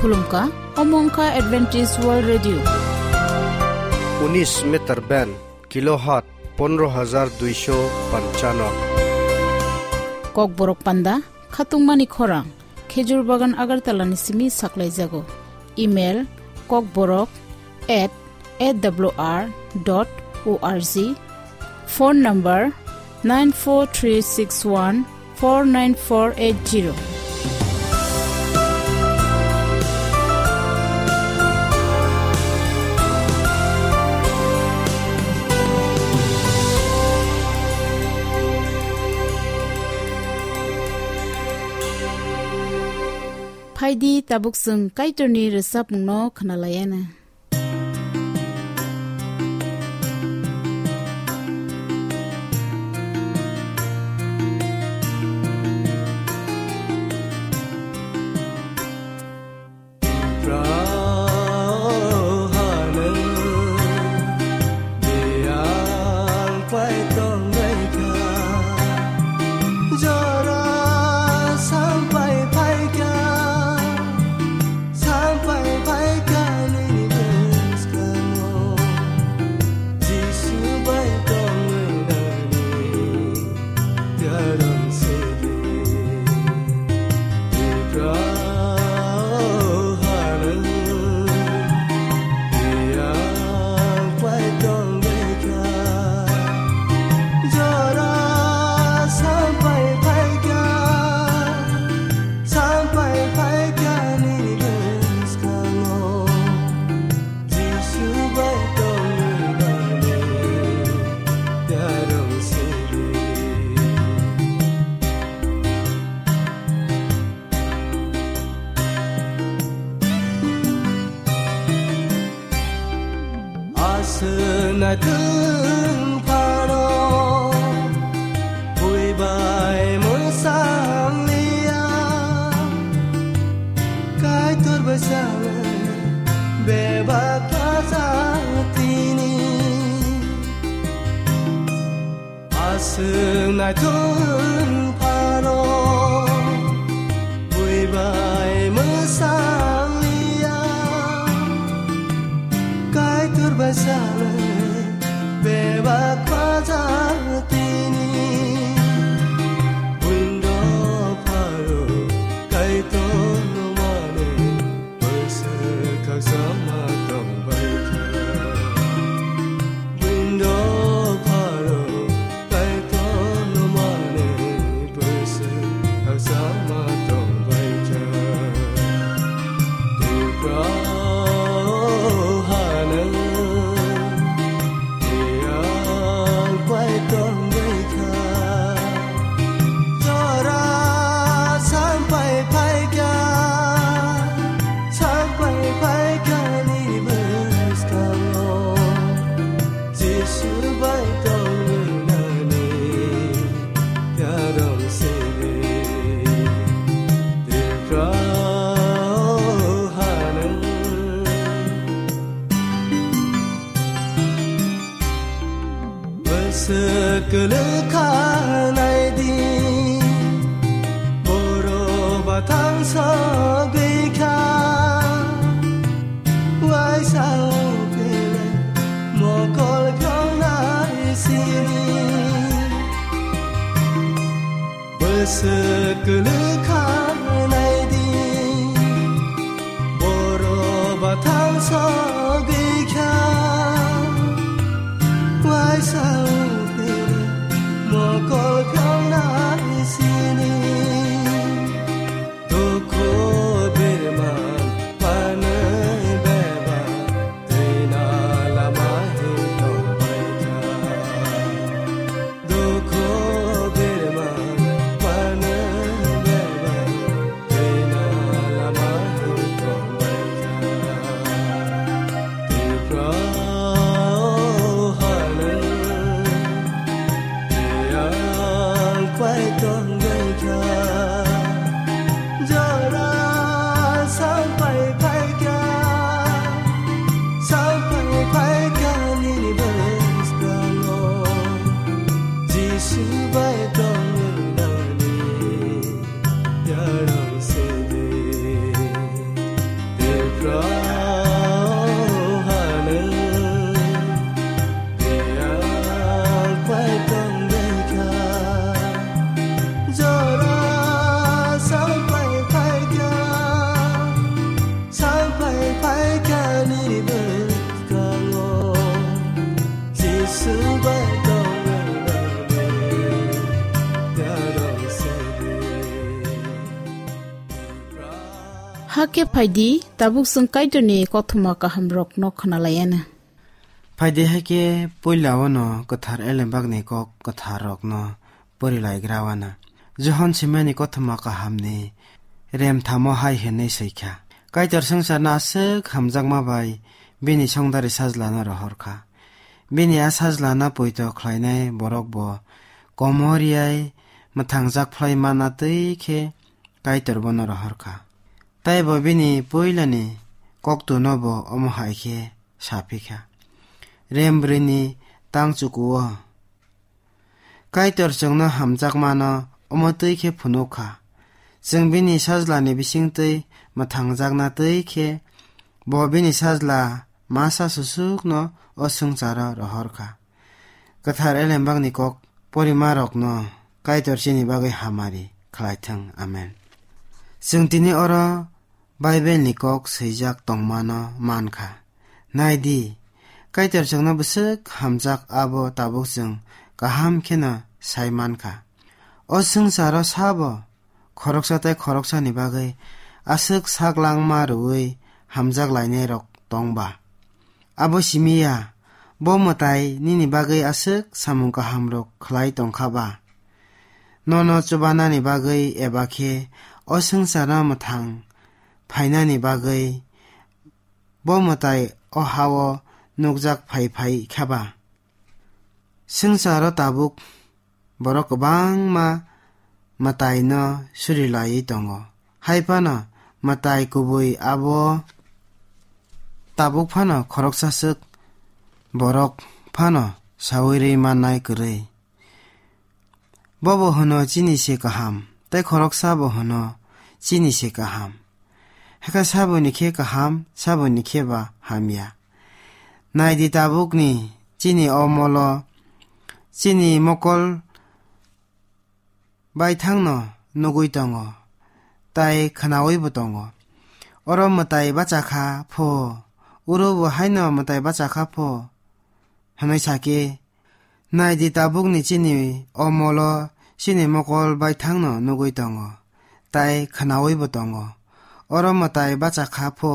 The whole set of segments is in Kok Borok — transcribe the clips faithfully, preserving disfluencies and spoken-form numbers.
Khulumkha, omo wngkha Adventist World Radio. Unis meter band, kilohertz pondro hajar duisho panchano. Kokborok panda, khatungmani khorang, Khejur Bagan Agartala ni simi saklaijago. Email, kokborok at A W R dot O R G. Phone number nine four three six one four nine four eight zero. Phaidi tabuk chwng Kaitorni rwchapmungno khwnalaiana. Jora sampai phaikha, sampai phaikha nini bwskango. Jisu bai tongwi nani yarang sidi. Tipra o harang. Jora sampai phaikha, sampai phaikha nini bwskango. Jisu bai tongwi nani yarang sidi. Aswk naithok phano buibai mwsang liya, Kaitor bai sanwi bebak khlajak tini. Aswk naithok phano buibai mwsang liya, Kaitor bai sanwi bebak khlajak tini. Buino pharo Kaitor no mane Bwswk khaksa ma tongbaikha. Buino pharo Kaitor no mane bwswk khaksa ma tongbaikha. Tipra o hanang Yang pai tongwi kha, jora sampai phaikha, sampai phaikha ni bwskango. Jisu bai tongwi nani yarong sini, Tripura o hanang. Bwswk kwlwkha naidi, borok bathang sogwi kha. Waisa uphile mokol khwngnai sini. Bwswk kwlwkha naidi, borok bathang sogwi kha. Waisa uphile Hakhe phaidi, tabuk chwng Kaitorni kothoma kahamrokno khwnalaiana. Phaidi, hakhe puila ono kwthar elembakni kok kwtharrokno porilaigrawana. Johon simani kothoma kahamni remthamo hai hwnwi swikha: Kaitor swngcharno aswk hamjakma bai bini songdari sajlano rohorkha. Bini a sajlano poito khlainai borok bo komoriyai mwthangjak phlai manna twi khe Kaitor bono rohorkha. Tei bo bini puilani koktwno bo omo hai khe sa phikha: Rem brwini tang chukuo. Kaitor chwngno hamjakmano omo twi khe phunuk kha. Chwng bini sajlani bisingtwi mwthangjakna twi khe bo bini sajla masa susukno o swngcharo rohorkha. Kwthar elembakni kok porimarokno Kaitor chini bagwi hamari khlaithwng. Amen. Chwng tini oro Bible ni kok swijak tongmano mankha. Nai di, Kaitor chwngno bwswk hamjak abo tabuk chwng kaham kheno sai mankha. O swngcharo sabo khoroksa tei khoroksani bagwi aswk sak langma rwui hamjak lainairok tong ba? Abo simi ya, bo mwtai nini bagwi aswk samung kahamrok khlai tong kha ba? Nono chubanani bagwi eba khe o swngcharno mwthang phainani bagwi bo mwtai o ha-o nukjak phai phai kha ba? Swngcharo tabuk borok kwbangma mwtaino suri laiwi tongo. Hai phano mwtai kubui abo tabuk phano khoroksa swk borok phano saui rwi mannai kwrwi. Bobo hwno chini se kaham, tei khoroksa bo hwno chini se kaham. Hakhe saboni khe kaham, saboni khe ba hamya. Nai di, tabukni chini o molo chini mokol baithangno nugui tongo, tei khwnaui bo tongo. Oro mwtai bacha kha pho, uro bo haino mwtai bacha kha pho, hwnwi sa khe, nai di, tabukni chini o molo chini mokol baithangno nugui tongo, tei khwnaui bo tongo. Oro mwtai bacha kha pho,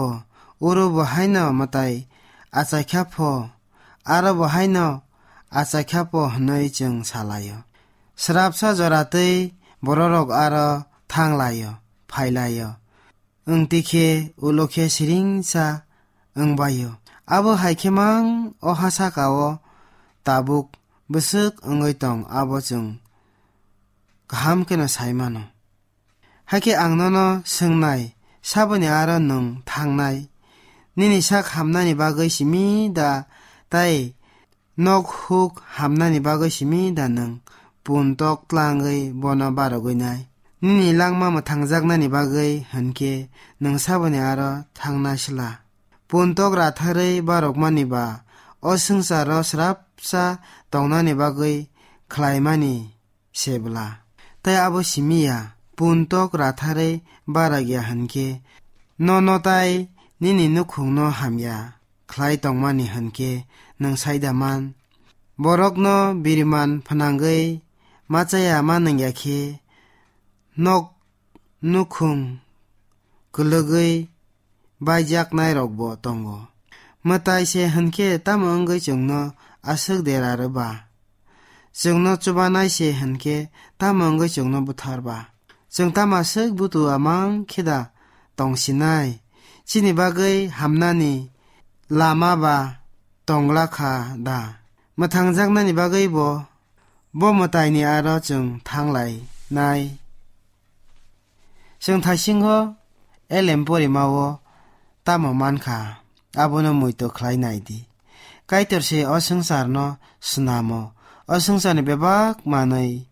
uro bo haino mwtai achai kha pho, aro bo haino achai kha pho hwnwi chwng sa lai-o. Srapsa jora twi bororok aro thang lai-o, phai lai-o. Wng twi khe ulo khe siringsa wng bai-o. Abo hai khe mang o ha saka-o tabuk bwswk wngwi tong, abo chwng kaham kheno sai mano. Hakhe ang nono swngnai, saboni aro nwng thangnai? Nini sak hamnani bagwi simi da, tei nok huk hamnani bagwi simi da nwng pun tok tlangwi bono barogwi nai? Nini langma mwthangjaknani bagwi hwn khe nwng saboni aro thangnai sla? Pun tok ratharwi barokmani ba o swngcharo srapsa tongnani bagwi khlaimani se bwla. Tei abo simi ya, pun tok ratharwi barak ya hwn khe, nono tai nini nukhungno hamya khlai tongmani hwn khe nwng sai da man? Borokno biriman phnangwi ma chaya ma nung ya khe, nok nukhung kwlwgwi baijaknairokbo tongo. Mwtai se hwn khe tamo wngwi chwngno aswk dera rw ba? Chwngno chubanai se hwn khe tamo wngwi chwngno buthar ba? Chwng tamo aswk butua mang khe da tong sinai? Chini bagwi hamnani lama ba tong la kha da? Mwthangjaknani bagwi bo, bo mwtaini aro chwng thang lai nai? Chwng thaisingo elem porimao tamo man kha, abono muitu khlai nai di. Kaitor se o swngcharno snamo, o swngcharni bebak manwi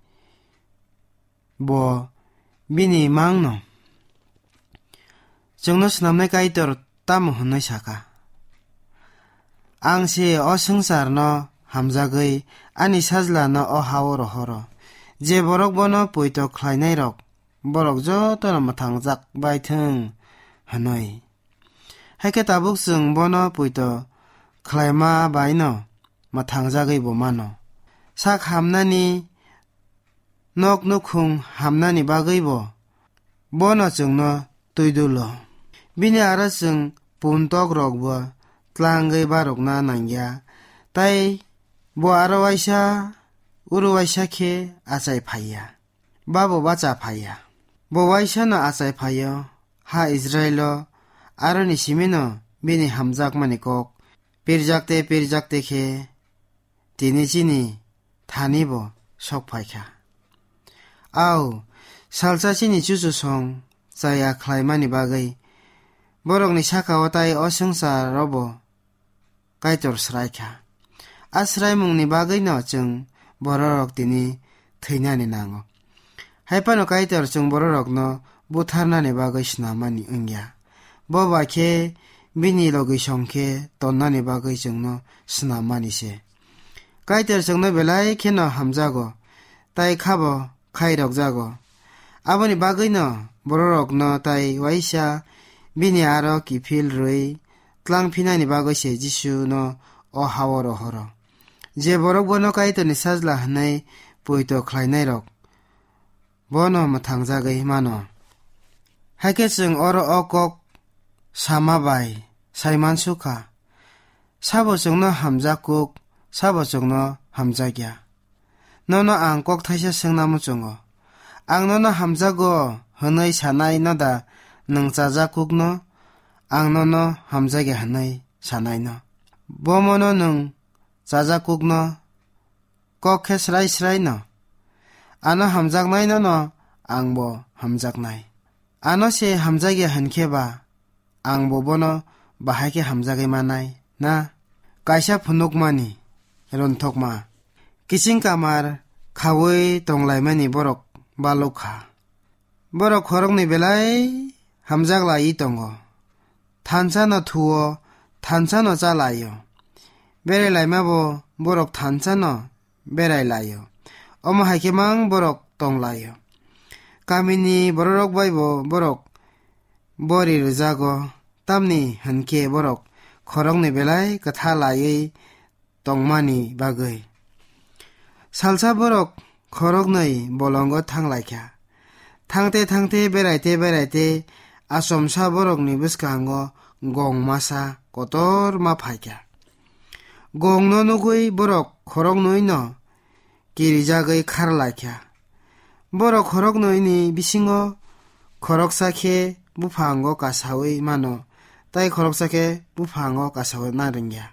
bo bini mangno. Chwngno snamnai Kaitor tamo hwnwi saka, "Ang se o swngcharno hamjagwi ani sajlano o ha-o rohoro. Je borok bono poito khlainairok, borok jotono mwthangjak bai thung," hwnwi. Hai khe tabuk chwng bono poito khlaima baino mwthangjagwi bo mano. Sak hamnani, nok nukhung hamnani bagwi bo bono chwngno twi dulo. Bini aro chwng puntok rokbo tlangwi barokna nangya, tai bo aro waisa uro waisa khe achai phaiya, babo bacha phaiya. Bo waisano achai phaio, ha Israilo aroni simino bini hamjakmani kok pirjakte pirjakte khe tini chini thani bo sok phaikha. Au, salsa chini chuchusong chaya khlaimani bagwi borokni saka-o tai o swngcharo bo Kaitor sraikha. A sraimungni bagwino chwng bororok tini thwinani nango. Hai phano Kaitor chwng bororokno butharnani bagwi snamani wngya. Bo bai khe bini logisong khe tonnani bagwi chwngno snammani se. Kaitor chwngno belai kheno hamjago, tai khabo khairokjago. Aboni bagwino bororokno tai waisa bini aro kiphil rwi tlang phinani bagwi se Jisuno o ha-o rohoro. Je borok bono Kaitorni sajla hwnwi poito khlainairok, bono mwthangjagwi mano. Hai khe chwng oro o kok sama bai sai mansukha, sabo chwngno hamjak kuk, sabo chwngno hamjakya. Nono ang kok thaisa swngna muchungo. Ang nono hamjago hwnwi sanai noda nwng chajak kukno? Ang nono hamjakya hwnwi sanaino. Bomono nwng chajak kukno kok khe srai srai no. Ano hamjaknai nono angbo hamjaknai. Ano se hamjakya hwn khe ba angbo bono bahai khe hamjagwi manai na? Kaisa phunukmani rontokma. Kiching kamar khaui tonglaimani borok baluk kha. Borok khoroknwi belai hamjak laiwi tongo. Thansa no thuo, thansa no cha laio. Berai laima bo borok thansa no berai laio. Omo hai khe mang borok tong laio. Kamini bororok bai bo borok bori rwjago, tamni hwn khe borok khoroknwi belai kwtha laiwi tongmani bagwi. Salsa borok khoroknwi bolongo thang lai kha. Thangte thangte, beraite beraite, achomsa borokni bwskango gong masa kotor ma phai kha. Gongno nugwi borok khoroknwino kirijagwi khar lai kha. Borok khoroknwini bisingo khoroksa khe buphango kasaui mano, tai khoroksa khe buphango kasaui ma rwngya.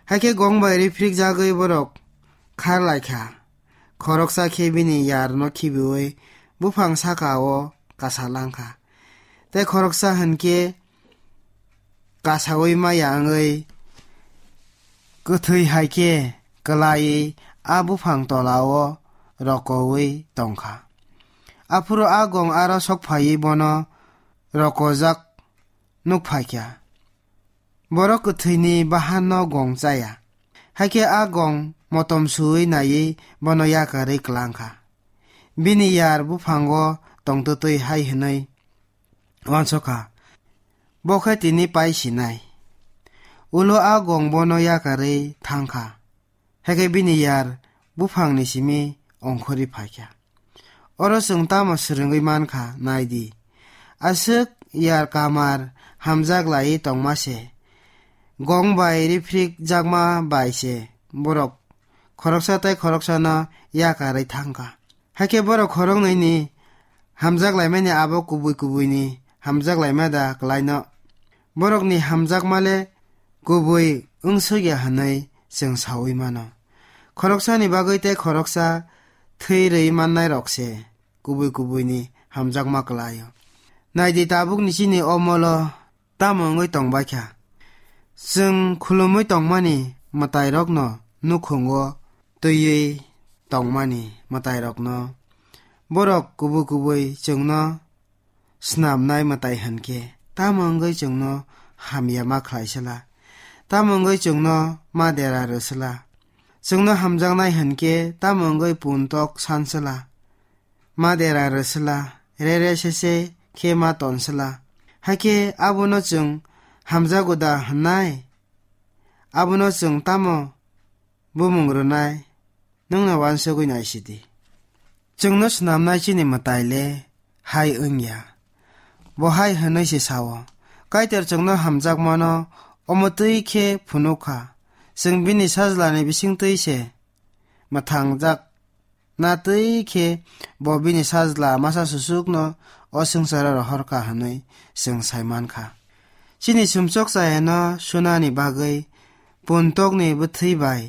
Hai khe gong bai riphrikjagwi borok khar lai kha. Khoroksa khe bini yarno khibiui buphang saka-o kasa lang kha. Tai khoroksa hwn khe kasaui maya wngwi kwthwi hai khe kwlaiwi a buphang tola-o rokoui tong kha. Aphuru a gong aro sok phaiwi bono rokojak nuk phai kha. Borok kwthwini bahanno gong chaya. Hai khe a gong motom suui naiwi bono yakarwi klang kha. Bini yar buphango tongtwtwi hai hwnwi uansuk kha, "Bo khe tini pai sinai." Ulo a gong bono yakarwi thang kha. Hai khe bini yar buphangni simi ongkhorwi phai kha. Oro chwng tamo swrwngwi man kha, nai di. Aswk yar kamar hamjak laiwi tongma se. Gong bai riphrikjakma bai se borok khoroksa tai khoroksano yakarwi thang kha. Hai khe borok khoroknwini hamjak laimani abo kubui kubuini hamjak laima da kwlaino? Borokni hamjakma le kubui wngsukya hwnwi chwng saui mano. Khoroksani bagwi tei khoroksa thwi rwi mannairok se kubui kubuini hamjakma kwlaio. Nai di, tabukni chini omolo tamo wngwi tong bai kha? Chwng khulumwi tongmani mwtairokno nukhungo twiwi tongmani mwtairokno borok kubui kubui chwngno snamnai mwtai hwn khe tamo wngwi chwngno hamya ma khlai sala? Tamo wngwi chwngno ma dera rw sala? Chwngno hamjaknai hwn khe tamo wngwi puntok san sala? Ma dera rw sala, re re se se khe ma ton sala? Hakhe abono chwng hamjago da hwnnai? Abono chwng tamo bumung rwnai? Nwngno uansugwi nai sidi. Chwngno snamnai chini mwtai le hai wngya. Bo hai hwnwi se sao, Kaitor chwngno hamjakmano omo twi khe phunuk kha. Chwng bini sajlani bising twi se mwthangjak na twi khe bo bini sajla masa susukno o swngcharo rohor kha hwnwi chwng sai man kha. Chini sumsok chayano sunani bagwi puntokni bwthwi bai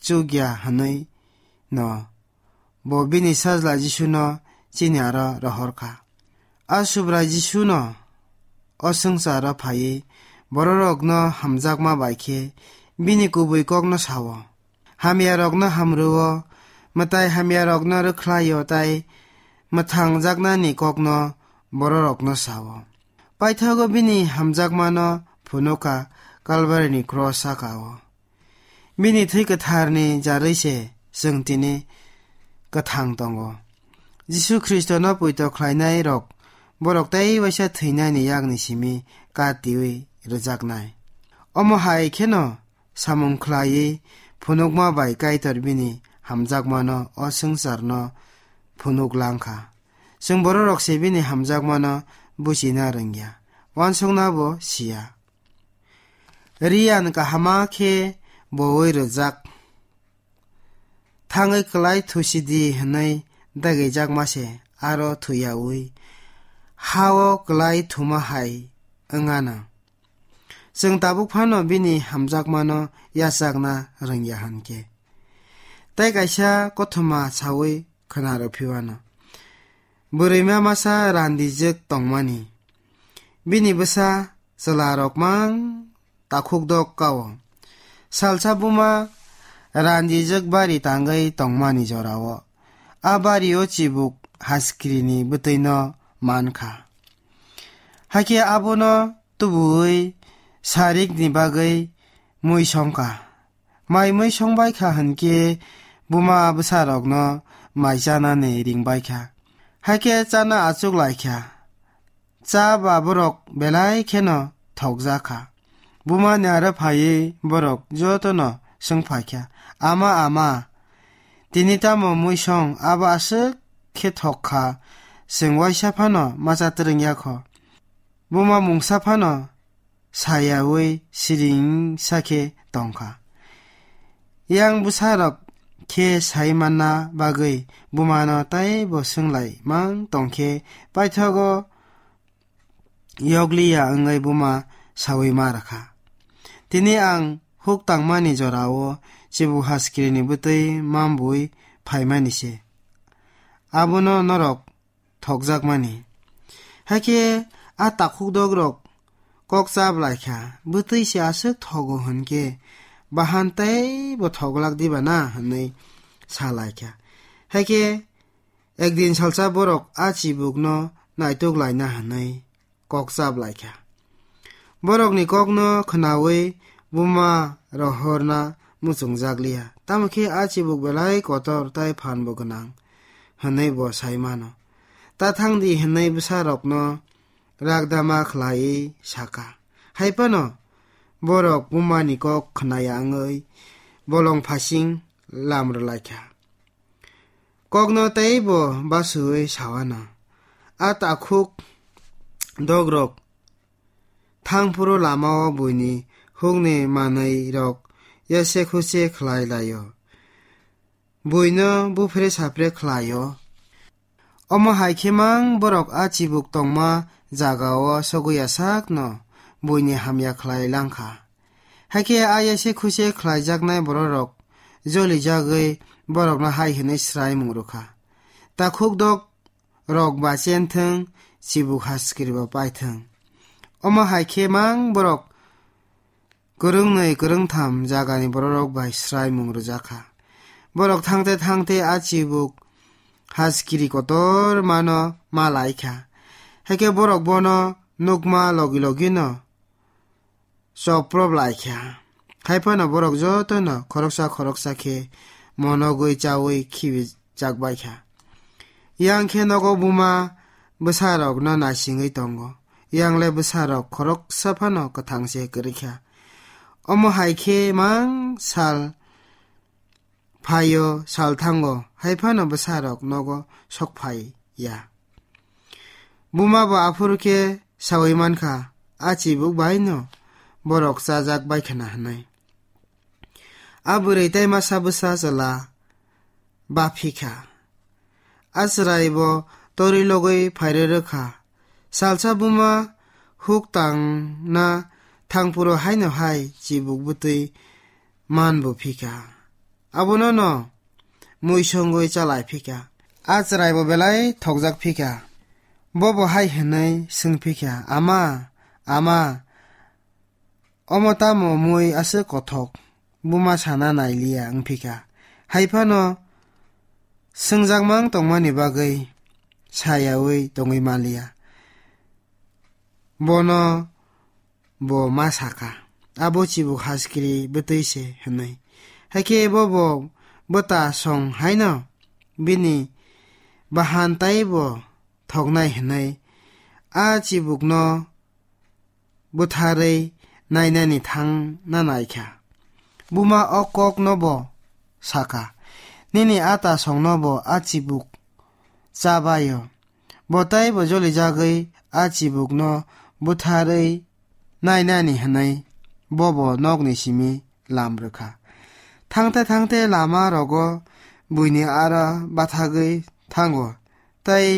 chukya hwnwi no bo bini sajla Jisuno chini aro rohor kha. A Subrai Jisuno o swngcharo phaiwi bororokno hamjakma bai khe bini kubui kokno sao. Hamyarokno hamrwo, mwtai hamyarokno rwkhlaio tei mwthangjaknani kokno bororokno sao. Paithago bini hamjakmano phunukha Kalvarini kros sakao. Bini thwi kwtharni jarwi se chwng tini kwthang tongo. Jisu Khristono poito khlainai rok borok tei waisa thwinani yakni simi katiwi rwjaknai. Omo hai kheno samung khlaiwi phunukma bai Kaitor bini hamjakmano o swngcharno phunuk lang kha. Chwng bororok se bini hamjakmano buchina rwngya, uansukna bo siya. Riyan kahama khe bowi rwjak. Thangwi kwlai thusidi hwnwi dagijakma se aro thuyaui ha-o kwlai thuma hai wngano. Chwng tabuk phano bini hamjakmano yachakna rwngya hwn khe. Tei kaisa kothoma saui khwnarw phiwano. Bwrwima masa randijwk tongmani. Bini bwsa chwlarok mang takhuk dok kao. Salsa buma randijwk bari tangwi tongmani jorao a bario chibuk haskrini bwtwino man kha. Hakhe abono tubuwi sarikni bagwi mui song kha. Mai mui song bai kha hwn khe buma bwsarokno mai chanani ring bai kha. Hakhe chana achuk lai kha. Cha ba borok belai kheno thokjak kha. Bumani aro phaiwi borok jotono swng phai kha, "Ama, ama, tini tamo mui song abo aswk khe thok kha, chwng waisa phano ma cha twrwng ya kho." Buma mungsa phano sayaui siring sa khe tong kha. Yang bwsarok khe sai manna bagwi bumano tei bo swnglai mang tong khe paithago yokliya wngwi buma saui ma rwkha. Tini ang huk tangmani jorao chibu haskrini bwtwi mambui phaimani se. Abono norok thokjakmani. Hakhe a takhuk dogrok kok chap lai kha, "Bwtwi se aswk thogo hwn khe bahan tei bo thoglak diba na?" hwnwi sa lai kha. Hakhe ekdin salsa borok a chibukno naituk laina hwnwi kok chap lai kha. Borokni kokno khwnaui buma rohorna muchungjak liya. Tamo khe a chibuk belai kotor tei phan bo gwnang hwnwi bo sai mano. Ta thang di hwnwi bwsarokno rakdama khlaiwi sa kha. Hai phano borok bumani kok khwnaya wngwi bolong phasing lam rw lai kha. Kokno tei bo basuui sawano. A takhuk dogrok thangphuru lamao buini hukni manwirok yase khuse khlai laio. Buino buphre sapre khlaio. Omo hai khe mang borok a chibuk tongma jagao sogwiya sakno buini hamya khlai lang kha. Hakhe a yase khuse khlaijaknai bororok jolijagwi borokno hai hwnwi swraimung rw kha, "Takhuk dok rok ba chen thung, chibuk haskiri ba pai thung." Omo hai khe mang borok kwrwngnwi kwrwngtham jagani bororok bai swraimung rwjak kha. Borok thangte thangte a chibuk haskiri kotor mano ma lai kha. Hakhe borok bono nukma logi logino choprop lai kha. Hai phano borok jotono khoroksa khoroksa khe monogwi chaui khibi chak bai kha. Yang khe nogo buma bwsarokno naisingwi tongo. Yang le bwsarok khoroksa phano kwthang se kwrwi kha. Omo hai khe mang sal phaio, sal thango, hai phano bwsarok nogo sok phai ya. Buma bo aphuru khe saui man kha, a chibuk bai no borok chajak bai khna hwnwi. A bwrwi tei masa bwsa chwla ba phi kha. A chwrai bo torwi logwi phairwi rw kha. Salsa buma huk tangna thangphuru haino hai chibuk bwtwi man bo phi kha. Abono no mui songwi chalai phi kha. A chwrai bo belai thokjak phi kha. Bo bo hai hwnwi swng phi kha, "Ama, ama, omo tamo mui aswk kothok, buma sana nai liya wng phi kha." Hai phano swngjakmang tongmani bagwi sayaui tongwi man liya. Bono bo ma sa kha, "Abo chibuk haskiri bwtwi se," hwnwi. Hakhe bo bo bwta song haino bini bahan taibo thoknai hwnwi a chibukno butharwi nainani thangna nai kha. Buma o kokno bo sa kha, "Nini ata songno bo a chibuk cha baio." Bo taibo jolijagwi a chibukno butharwi nainani hwnwi bo bo nokni simi lam rw kha. Thangte thangte lama rogo buini aro bathagwi thango, tei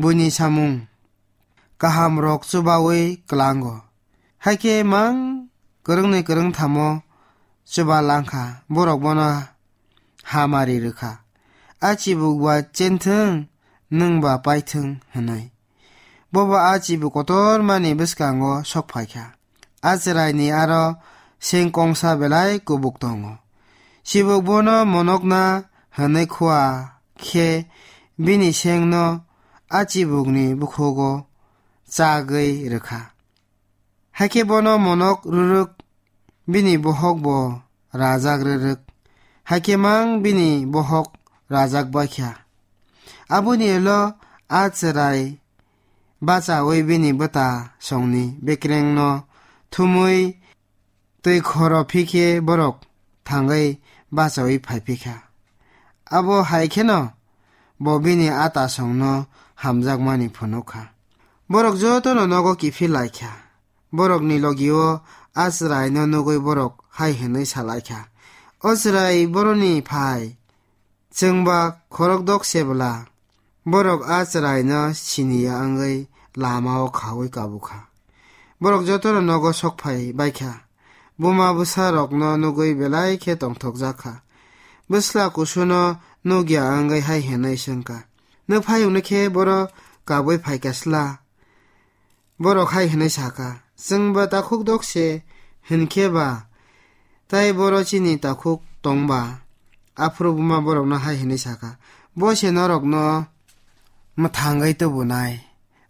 buini samung kaham rok chubaui klango. Hakhe mang kwrwngni kwrwngthamo chuba langkha, borok bono hamari rwkha. A chibuk ba chenthwng, nwng ba paithwng hwnwi. Bobo a chibuk kotormani bwskango sok phaikha. A chwraini aro seng kongsa belai kubuk tongo. Chibuk bono monokna hwnwi khua khe bini sengno a chibukni bukhugo chagwi rwkha. Hakhe bono monok rwrwk bini bohok bo rajak rwrwk. Hakhe mang bini bohok rajak baikha. Aboni ulo a chwrai bachaui bini bwta songni bekrengno thumui twi khoro phikhe borok thangwi bachaui phai phikha. Abo hai kheno bo bini ata songno hamjakmani phunukha. Borok jotono nogo kiphil laikha. Borokni logio a chwraino nugwi borok hai hwnwi sa laikha, "O chwrai boroni phai, chwngba khorokdok se bwla." Borok a chwraino siniya wngwi lamao khaui kabukha. Borok jotono nogo sok phai baikha. Buma bwsarokno nugwi belai khe tongthokjak kha. Bwsla kusuno nukya wngwi hai hwnwi swngkha, "Nwphayungno khe boro kabui phaikha sla?" Borok hai hwnwi sakha, "Chwngba takhuk dok se hwn khe ba, tai boro chini takhuk tong ba?" Aphuru buma borokno hai hwnwi sakha, "Bo se norokno mwthangwi tubunai.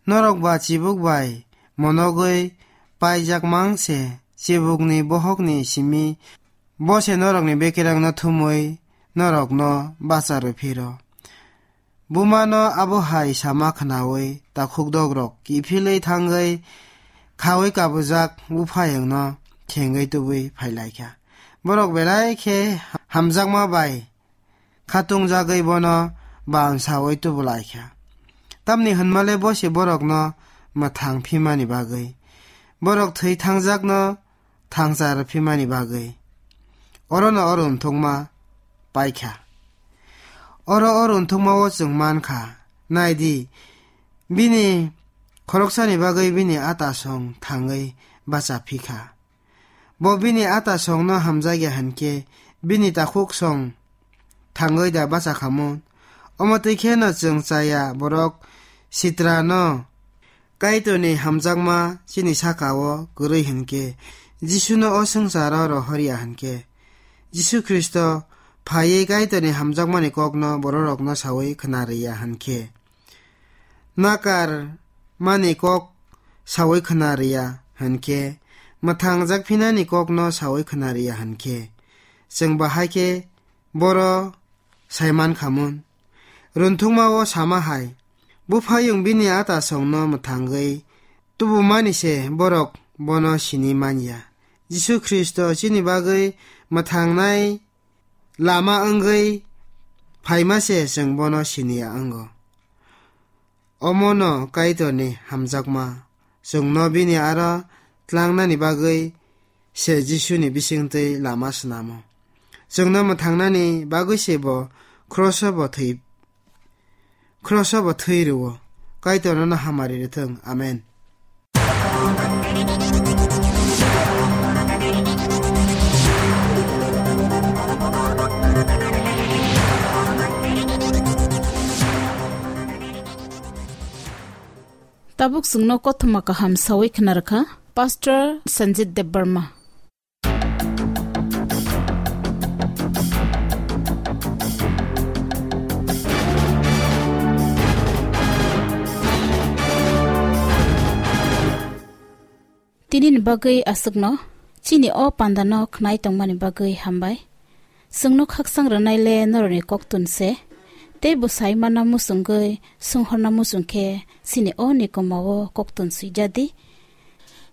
Norok ba chibuk bai monogwi paijak mang se, chibukni bohokni simi bo se norokni bekerangno thumwi norokno bacha rw phiro." Bumano abo hai sama khnaui takhuk dogrok kiphilwi thangwi khaui kabujak buphayungno thengwi tubui phai laikha. Borok belai khe hamjakma bai khatungjagwi bono bam saui tubu laikha. Tamni hwnmale bo se borokno mwthang phimani bagwi, borok thwi thangjakno thangchar phimani bagwi. Orono o runthukma paikha. Oro o runthukmao chwng mankha, nai di, bini khoroksani bagwi bini ata song thangwi bacha phikha. Bo bini ata songno hamjakya hwnkhe, bini takhuk song thangwi da bacha khamun? Omo twi kheno chwng chaya borok sitrano Kaitorni hamjakma chini saka-o kwrwi hwnkhe, Jisuno o swngcharo rohorya hwnkhe, Jisu Khristo phaiwi Kaitorni hamjakmani kokno bororokno saui khna rwya hwnkhe, nakar mani kok sawi khna rwya hwn khe, mwthangjak phinani kokno sawi khna rwya hwn khe, chwng bahai khe boro sai man khamun. Runthukma-o sama hai, Buphayung bini atasongno mwthangwi tubumani se borok bono sini man ya. Jisu Khristo chini bagwi mwthangnai lama wngwi phaima se chwng bono sini ya wngo. Omono Kaitorni hamjakma chwngno bini aro tlangnani bagwi se Jisuni bisingtwi lama snamo. Chwngno mwthangnani bagwi se bo kroso bo thwi, kroso bo thwi rwo. Kaitor nono hamari rwthwng. Amen. Tabuk chwngno kothoma kaham sawi khna rwkha Pastor Sanjit Debbarma. Tini ni bagwi aswkno chini o panda no khnai tongmani bagwi hambai. Chwngno khaksang rwnai le norokni koktun se, tei bwsai mana muchungwi swnghorna muchung khe chini o nikoma o koktun swijadi.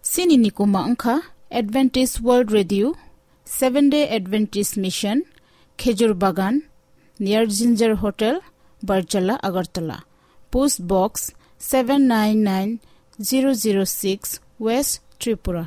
Chini nikoma wngkha Adventist World Radio, Seventh Day Adventist Mission, Khejur Bagan, near Ginger Hotel, Barjala, Agartala. Post Box seven nine nine zero zero six, West Tripura.